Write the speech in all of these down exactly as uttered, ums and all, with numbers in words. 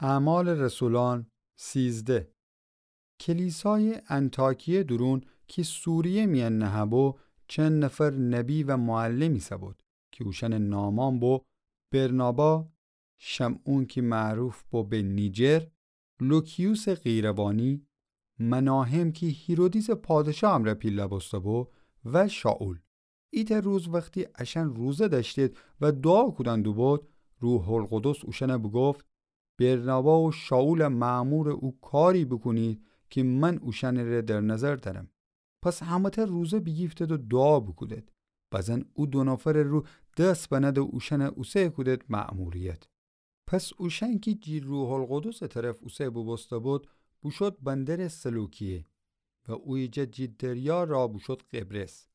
اعمال رسولان سیزده. کلیسایٚ انطاکیه دورون کی سوریه میأن نهه‌بو، چند نفر نبی و معلم ایسه‌بود کی اوشأنٚ نامأن بو برنابا، شمعون کی معروف بو به نیجر، لوکیوسٚ قیروانی، مناهم کی هیرودیسٚ پادشا امرأ پیله بوسته‌بو، و شائول. ایتأ روز وختی اشأن روزه دأشتید و دوعا کودن دوبود، روح‌القدس اوشأنَ بوگفت: برنابا و شائولَ مأمورٚ او کاری بوکونید کی من اوشأنٚره در نظر دأرم. پس همه‌تأ روزه بیگیفتید و دوعا بوکودید. بزن او دو نفرٚ رو دس بنه‌د و اوشأنَ اوسه کودید مأموریت. پس اوشأن کی جی روح‌القدسٚ طرف اوسه بوبوسته‌بود، بوشود بندرٚ سلوکیه و اویه جه جی دریا راه بوشود قبرس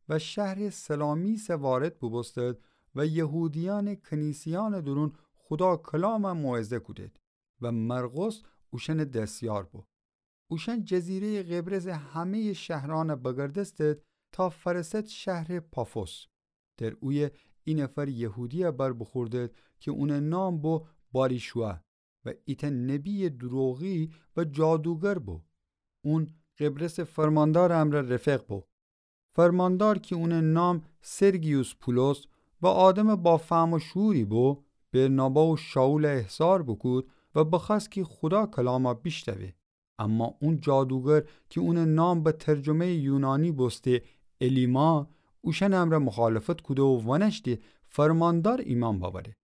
و شهرٚ سلامیسَ وارد بوبوستید و یهودیأنٚ کنیسه‌یأنٚ دورون خودا کلامَ موعظه کودید و مرقس اوشأنٚ دسیار بو. اوشأن جزیره‌یٚ قبرسٚ همه‌یٚ شهرأنَ بگردستید تا فأرسد شهرٚ پافوس. در اویه ای نفر یهودی‌یَ بر بوخوردید کی اونٚ نام بو باریشوع و ایتأ نبیٚ دوروغی و جادوگر بو. اون قبرسٚ فرماندارٚ امرأ رفیق بو. فرماندار کی اونٚ نام سرگیوس پولس و آدمٚ با فهم و شعوری بو، برنابا و شائولَ احضار بوکود و بخوأست کی خودا کلامَ بیشنوه. اما اون جادوگر کی اونٚ نام به ترجمه‌یٚ یونانی بوسته الیما، اوشأنٚ امرأ مخالفت کوده و وأنأشته فرماندار ایمأن بأوره.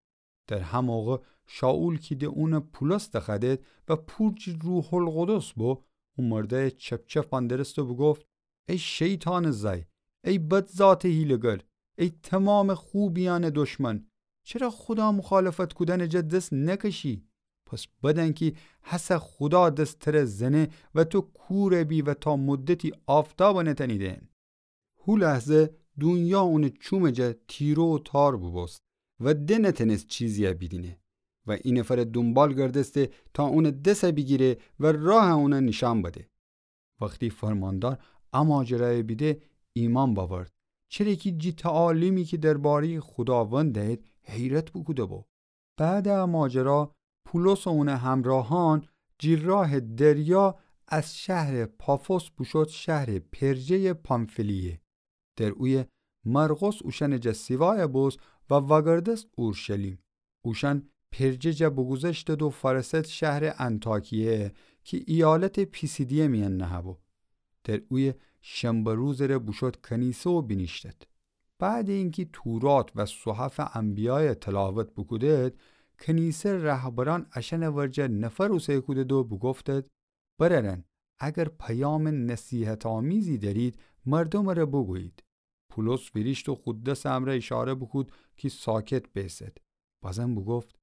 در هه موقع شائول کی د اونَ پولس دخوأدید و پور جی روح‌القدس بو، او مردأیَ چپ‌چپ فندرست و بوگفت: ای شیطانٚ زأی، ای بد ذاتٚ حیله‌گر، ای تومامٚ خوبیأنٚ دشمن، چره خودا مخالفت کودنٚ جا دس نکشی؟ پس بدأن کی هسه خودا دس تره زنه و تو کور بی و تا مدتی آفتابَ نتأنی دئن. هو لحظه دونیا اونٚ چومٚ جا تیره و تار بوبوست و د نتأنست چیزی‌یَ بیدینه و ای نفرٚ دونبال گردسته تا اونٚ دسَ بیگیره و راهَ اونَ نیشأن بده. وختی فرماندار ا ماجرایَ بیده، ایمأن بأورد، چره کی جی تعالیمی کی درباره‌یٚ خوداوند دأیید حیرت بوکوده‌بو. بعدٚ ا ماجرا پولس و اونٚ همراهأن جی راهٚ دریا از شهرٚ پافوس بوشود شهرٚ پرجه‌یٚ پامفیلیه. در اویه مرقس اوشأنٚ جا سیوایَ بوست و وأگردست اورشلیم. اوشأن پرجه جا بوگوذشتد و فأرسد شهرٚ انطاکیه کی ایالتٚ پیسیدیه میأن نهه‌بو. در اویه شنبه روزٚ ره بوشود کنیسه و بینیشتد. بعدٚ اینکی تورات و صحفٚ انبیایَ تلاوت بوکودد، کنیسه رهبرأن اشأنٚ ورجه نفر اوسه کودد و بوگفتد: برأرأن، اگر پیامٚ نصیحت‌آمیزی دأرید، مردومٚ ره بوگویید. پولس ویریشت و خو دسٚ امرأ ایشاره بوکود کی ساکت بیسد. بازم بوگفت: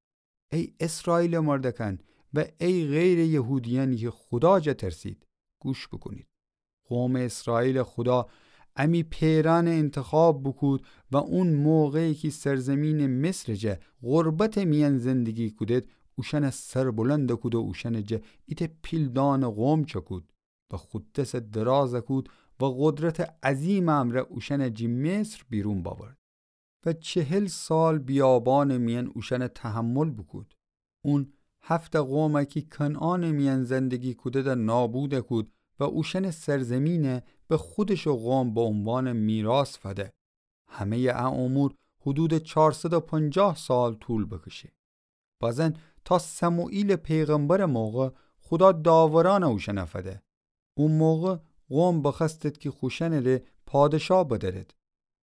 ای اسرائیلٚ مردأکأن و ای غیرٚ یهودیأنی کی خودا جا ترسید، گوش بوکونید. قومٚ اسرائیلٚ خودا امی پئرأنَ اینتخاب بوکود و اون موقعی کی سرزیمینٚ مصرٚ جا غربتٚ میأن زندگی کودد، اوشأنَ سربلند کود و اوشأنٚ جا ایتأ پیلدانٚ قوم چأکود و خو دسَ دراز کود و قدرتٚ عظیمٚ امرأ اوشأنَ جی مصر بیرون بأورد. و چهل سال بیابانٚ میأن اوشأنَ تحمل بوکود. اون هفت قومَ کی کنعانٚ میأن زندگی کوددَ نابود کود و اوشأنٚ سرزیمینَ به خودشٚ قوم به عنوانٚ میراث فده. همه‌یٚ ا امور حدودٚ چارصد و پنجاه سال طول بکشه. بازن تا سموئیلٚ پیغمبرٚ موقع خودا داورأنَ اوشأنَ فده. او موقع قوم بخوأستد کی خوشأنٚ ره پادشاه بدأرد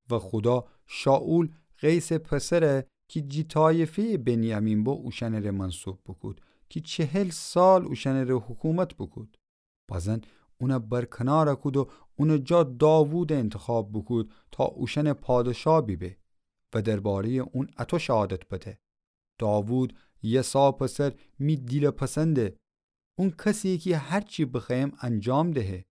و خودا شائول قیسٚ پسرَ کی جی طایفه‌یٚ بنیامین بو اوشأنٚ ره منصوب بوکود کی چهل سال اوشأنٚ ره حکومت بوکود. بازن اونَ برکنار کود و اونٚ جا داوودَ انتخاب بوکود تا اوشأنٚ پادشاه بیبه و درباره‌یٚ اون اطو شهادت بده: داوود یسا پسر می دیلٚ پسنده. اون کسی‌یه کی هر چی بخوأیم انجام دهه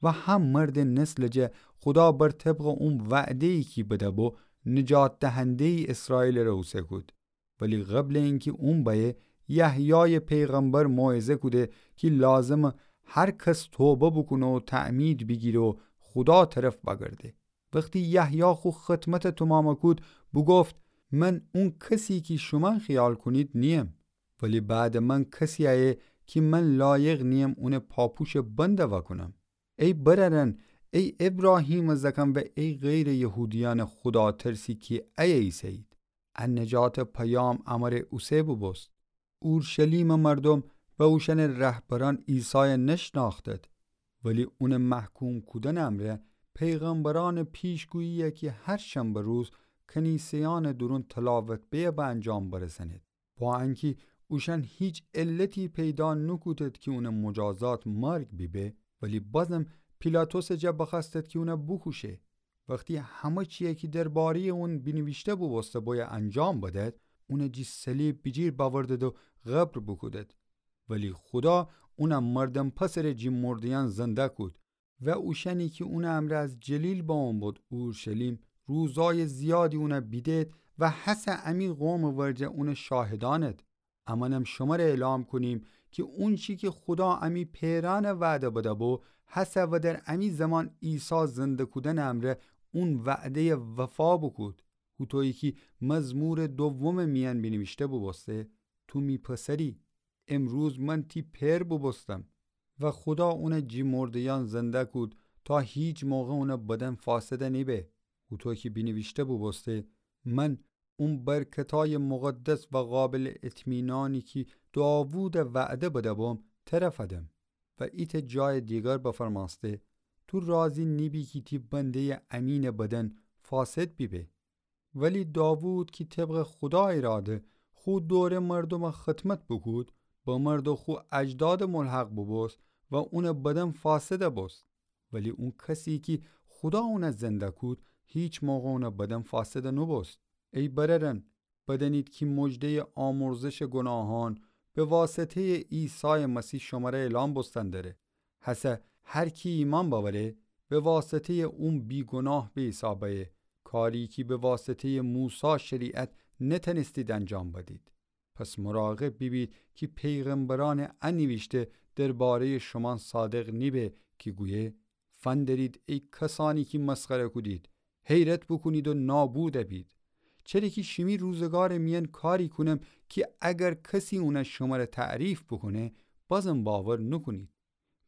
و هه مردٚ نسلٚ جا خودا بر طبقٚ اون وعده‌یی کی بده‌بو نجات دهنده‌یٚ اسرائیلٚ ره اوسه کود. ولی قبلٚ اینکی اون بأیه، یحیایٚ پیغمبر موعظه کوده کی لازمه هر کس توبه بوکونه و تعمید بیگیره و خودا طرف وأگرده. وختی یحیی خو خدمتَ تومامَ کود، بوگفت: من اون کسی کی شومأن خیال کونید نییم، ولی بعدٚ من کسی ایه کی من لایق نییم اونٚ پاپوشٚ بند وأکونم. ای برأرأن، ای ابراهیمٚ زأکأن و ای غیرٚ یهودیأنٚ خوداترسی کی ایه ایسه‌یید، ا نجاتٚ پیام امره اوسه بوبوست. اورشلیمٚ مردوم و اوشأنٚ رهبرأن عیسای نشنأختد، ولی اونٚ محکوم کودنٚ امرأ پیغمبرأنٚ پیشگویی کی هر شنبه روز کنیسه‌یأنٚ دورون تلاوت بهیه به انجام برسأنید. با انکی اوشأن هیچ علتی پیدا نوکودد کی اونٚ مجازات مرگ بیبه، ولی بازم پیلاطسٚ جا بخوأستد کی اون بوکوشه. وختی همه چیی کی درباره‌یٚ اون بینیویشته بوبوسته بویه انجام بدد، اون جی صلیب بیجیر بأوردد و قبر بوکودد. ولی خودا اون مردم پسرٚ جی مرده‌یأن زنده کود و اوشأنی کی اونٚ امرأ از جلیل بمو بود اورشلیم، روزأیٚ زیادی اون بیدید و هسه امی قومٚ ورجه اونٚ شاهدأنید. امأنم شمر اعلام کونیم کی اونچی کی خودا امی پئرأن وعده بده‌بو، هسه و در امی زمان عیسی زنده کودنٚ امرأ اون وعده‌ی وفا بوکود. هوطویی کی مزمورٚ دومٚ میأن بینیویشته بوبوسته، تو می پسری، امروز من تی پئر بوبوستم. و خودا اون جی مرده‌یأن زنده کود تا هیچ موقع اونٚ بدن فاسده نیبه. هوطو کی بینیویشته بوبوسته، من اون برکتأیٚ مقدس و قابلٚ اطمینأنی کی داوودَ وعده بده‌بوم، تره فدم. و ایتأ جایٚ دیگر بفرمأسته، تو راضی نیبی کی تی بنده‌یٚ امینٚ بدن فاسد بیبه. ولی داوود کی طبقٚ خودا ایراده خو دورٚ مردومٚ خدمت بوکود، بمرد و خو اجدادٚ ملحق بوبوست و اونٚ بدن فاسد بوست. ولی اون کسی کی خودا اون زنده کود، هیچ موقع اونٚ بدن فاسد نوبوست. ای برأرأن، بدأنید کی مژده‌یٚ آمرزشٚ گناهأن به واسطه‌یٚ عیسایٚ مسیح شمر اعلام بوستن دره. هسه هر کی ایمأن بأوره، به واسطه‌یٚ اون بیگناه به حساب ایه، کاری کی به واسطه‌یٚ موسی شریعت نتأنستید انجام بدید. پس مراقب بیبید کی پیغمبرأنٚ ا نیویشته درباره‌یٚ شومأن صادق نیبه کی گویه، فندرید ای کسأنی کی مسخره کودید، حیرت بوکونید و نابود بید. چره کی شیمی روزگارٚ میأن کاری کونم کی اگر کسی اون شمر تعریف بوکونه، بازم باور نوکونید.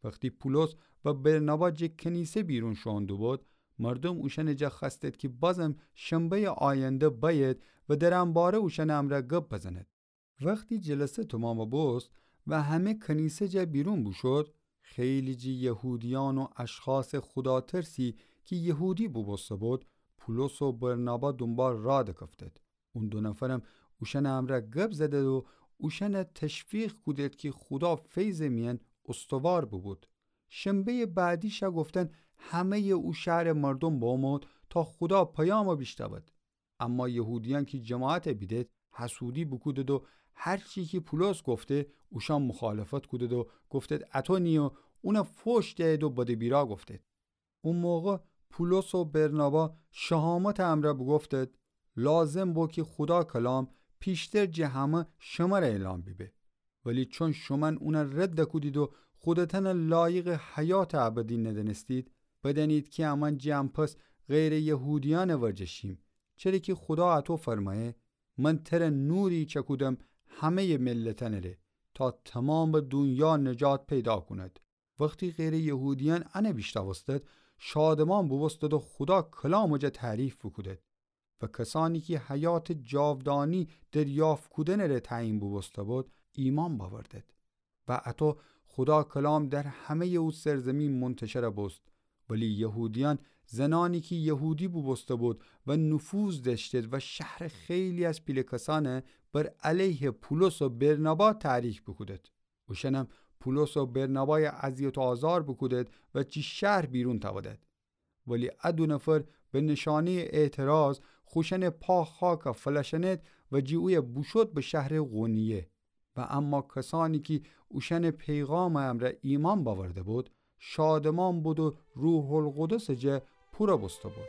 وختی پولس و برنابا جٚه کنیسه بیرون شوئون دوبود، مردوم اوشأنٚ جا خوأستید کی بازم شنبه‌یٚ آینده بأید و در ان باره اوشأنٚ امرأ گب بزنید. وختی جلسه تومام بوبوست و همه کنیسه جا بیرون بوشود، خیلی جٚه یهودیأن و اشخاصٚ خوداترسی کی یهودی بوبوسته بود، پولس و برنابا دونبال راه دکفتید. اون دو نفرم اوشأنٚ امرأ گب زدید و اوشأن تشویق کودید کی خودا فیضٚ میأن استوار بوبود. شنبه‌یٚ بعدی شأ گفتن همه‌یٚ او شهرٚ مردوم بمود تا خودا پیام بیشنود. اما یهودیأن کی جماعت بیدید، حسودی بوکودید و هر چی کی پولس گفته، اوشأن مخالفت کودید و گفتید اطو نیه و اون فحش دهید و بد و بیرا گفتید. او موقع پولس و برنابا شهامتٚ امرأ بوگفتید، لازم بو کی خودا کلام پیشتر جٚه همه شمر اعلام بیبه. ولی چون شومأن اون رد کودید و خودتأن لایقٚ حیاتٚ ابدی ندأنستید، بدأنید کی امأن جٚه ان پس غیرٚ یهودیأنٚ ورجه شیم. چره کی خودا اطو فرمأیه، من تر نوری چکودم همه‌یٚ ملتأنٚ ره، تا تومامٚ دونیا نجات پیدا کونید. وختی غیرٚ یهودیأن ان بیشنوستید، شادمان بوبوستید و خودا کلامٚ جا تعریف بوکودید. و کسأنی کی حیاتٚ جاودانی دریافت کودنٚ ره تعیین بوبوسته بود، ایمأن بأوردید. و اطو خودا کلام در همه‌یٚ او سرزیمین منتشر بوست. ولی یهودیأن زنأنی کی یهودی بوبوسته بود و نفوذ دأشتید و شهرٚ خیلی از پیله کسأن بر علیه پولس و برنابا تحریک بوکودید. اوشأنم پولس و برنابای اذیت و آزار بوکودید و جٚه شهر بیرون تأودید. ولی ا دو نفر به نشانه‌یٚ اعتراض خوشأنٚ پا خاک فلأشأنید و جٚه اویه بوشود به شهرٚ قونیه. و اما کسأنی کی اوشأنٚ پیغامٚ امرأ ایمأن بأورده بود، شادمان بود و روح‌القدسٚ جا پور بوسته بود.